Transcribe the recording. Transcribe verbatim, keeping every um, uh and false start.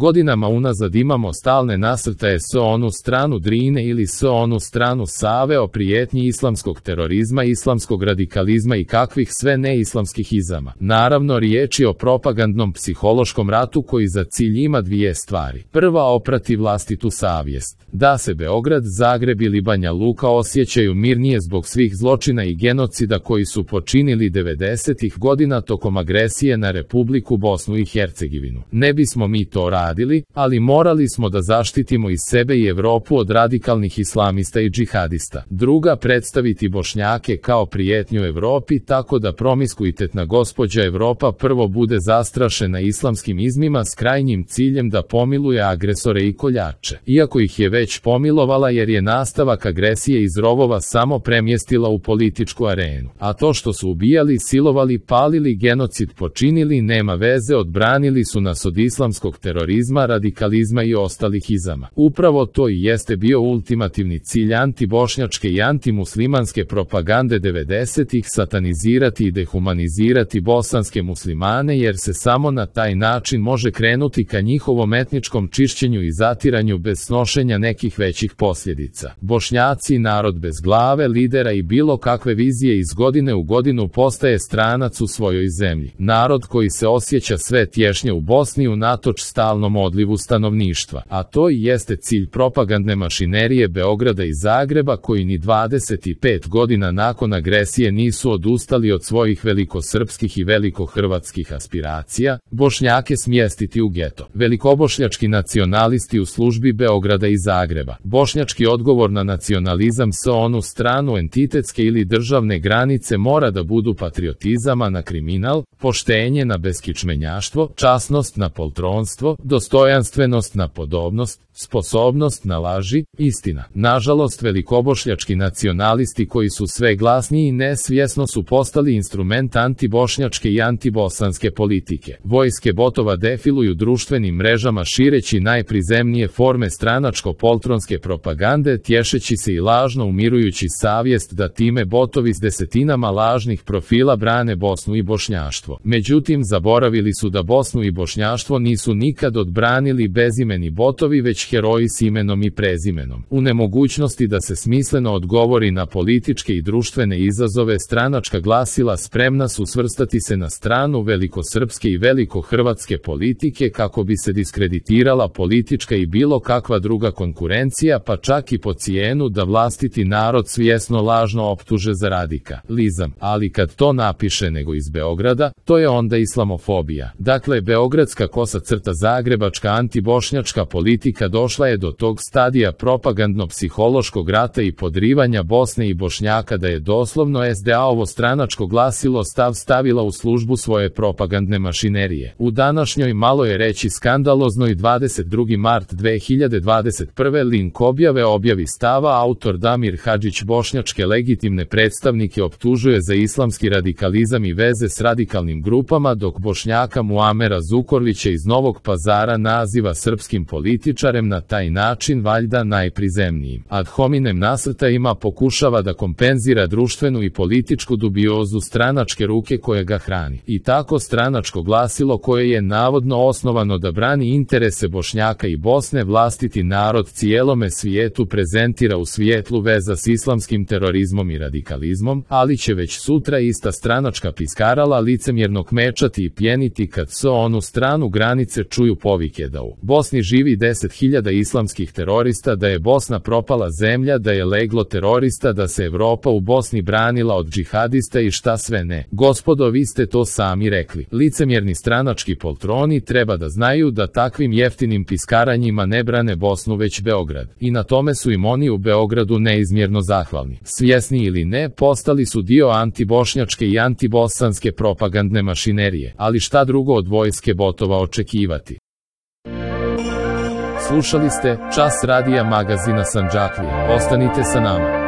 Godinama unazad imamo stalne nasrtaje s onu stranu Drine ili s onu stranu Save o prijetnji islamskog terorizma, islamskog radikalizma i kakvih sve neislamskih izama. Naravno, riječ je o propagandnom psihološkom ratu koji za cilj ima dvije stvari. Prva, oprati vlastitu savjest. Da se Beograd, Zagreb ili Banja Luka osjećaju mirnije zbog svih zločina i genocida koji su počinili devedesetih godina tokom agresije na Republiku Bosnu i Hercegovinu. Ne bismo mi to radili, ali morali smo da zaštitimo i sebe i Evropu od radikalnih islamista i džihadista. Druga, predstaviti Bošnjake kao prijetnju Evropi tako da promiskuitetna gospođa Evropa prvo bude zastrašena islamskim izmima s krajnjim ciljem da pomiluje agresore i koljače. Iako ih je već pomilovala jer je nastavak agresije iz rovova samo premjestila u političku arenu. A to što su ubijali, silovali, palili, genocid počinili, nema veze, odbranili su nas od islamskog terorizma, radikalizma i ostalih izama. Upravo to i jeste bio ultimativni cilj antibošnjačke i antimuslimanske propagande devedesetih, satanizirati i dehumanizirati bosanske muslimane jer se samo na taj način može krenuti ka njihovom etničkom čišćenju i zatiranju bez snošenja nekih većih posljedica. Bošnjaci, narod bez glave, lidera i bilo kakve vizije, iz godine u godinu postaje stranac u svojoj zemlji. Narod koji se osjeća sve tješnje u Bosni unatoč stalnom odlivu stanovništva. A to i jeste cilj propagandne mašinerije Beograda i Zagreba koji ni dvadeset pet godina nakon agresije nisu odustali od svojih velikosrpskih i velikohrvatskih aspiracija, Bošnjake smjestiti u geto. Velikobošnjački nacionalisti u službi Beograda i Zagreba. Bošnjački odgovor na nacionalizam s onu stranu entitetske ili državne granice mora da budu patriotizam, a na kriminal, poštenje na beskičmenjaštvo, časnost na poltronstvo, dostojanstvenost na podobnost, sposobnost na laži, istina. Nažalost, velikobošnjački nacionalisti koji su sve glasniji i nesvjesno su postali instrument antibošnjačke i antibosanske politike. Vojske botova defiluju društvenim mrežama šireći najprizemnije forme stranačko-poltronske propagande, tješeći se i lažno umirujući savjest da time botovi s desetinama lažnih profila brane Bosnu i bošnjaštvo. Međutim, zaboravili su da Bosnu i bošnjaštvo nisu nikad odbranili bezimeni botovi, već heroji s imenom i prezimenom. U nemogućnosti da se smisleno odgovori na političke i društvene izazove, stranačka glasila spremna su svrstati se na stranu velikosrpske i velikohrvatske politike kako bi se diskreditirala politička i bilo kakva druga konkurencija, pa čak i po cijenu da vlastiti narod svjesno lažno optuže za radikalizam. Ali kad to napiše nego iz Beograda, to je onda islamofobija. Dakle, beogradska kosa crta zagrebačka antibošnjačka politika došla je do tog stadija propagandno-psihološkog rata i podrivanja Bosne i Bošnjaka da je doslovno S D A-ovo stranačko glasilo stav stavila u službu svoje propagandne mašinerije. U današnjoj, malo je reći skandaloznoj, dvadeset drugi mart dve hiljade dvadeset prve link objave objavi stava autor Damir Hadžić bošnjačke legitimne predstavnike optužuje za islamski radikalizam i veze s radikalnim grupama, dok Bošnjaka Muamera Zukorlića iz Novog Pazara naziva srpskim političarem, na taj način valjda najprizemnijim. Ad hominem nasrtajima pokušava da kompenzira društvenu i političku dubiozu stranačke ruke koje ga hrani. I tako stranačko glasilo koje je navodno osnovano da brani interese Bošnjaka i Bosne vlastiti narod cijelome svijetu prezentira u svijetlu veza s islamskim terorizmom i radikalizmom, ali će već sutra ista stranačka piskarala licemjerno kmečati i pjeniti kad s onu stranu granice čuju povike da u Bosni živi deset hiljada islamskih terorista, da je Bosna propala zemlja, da je leglo terorista, da se Evropa u Bosni branila od džihadista i šta sve ne. Gospodo, vi ste to sami rekli. Licemjerni stranački poltroni treba da znaju da takvim jeftinim piskaranjima ne brane Bosnu već Beograd. I na tome su im oni u Beogradu neizmjerno zahvalni. Svjesni ili ne, postali su dio antibošnjačke i antibosanske propagandne mašinerije. Ali šta drugo od vojske botova očekivati? Slušali ste Čas radija magazina Sandžaklije. Ostanite sa nama.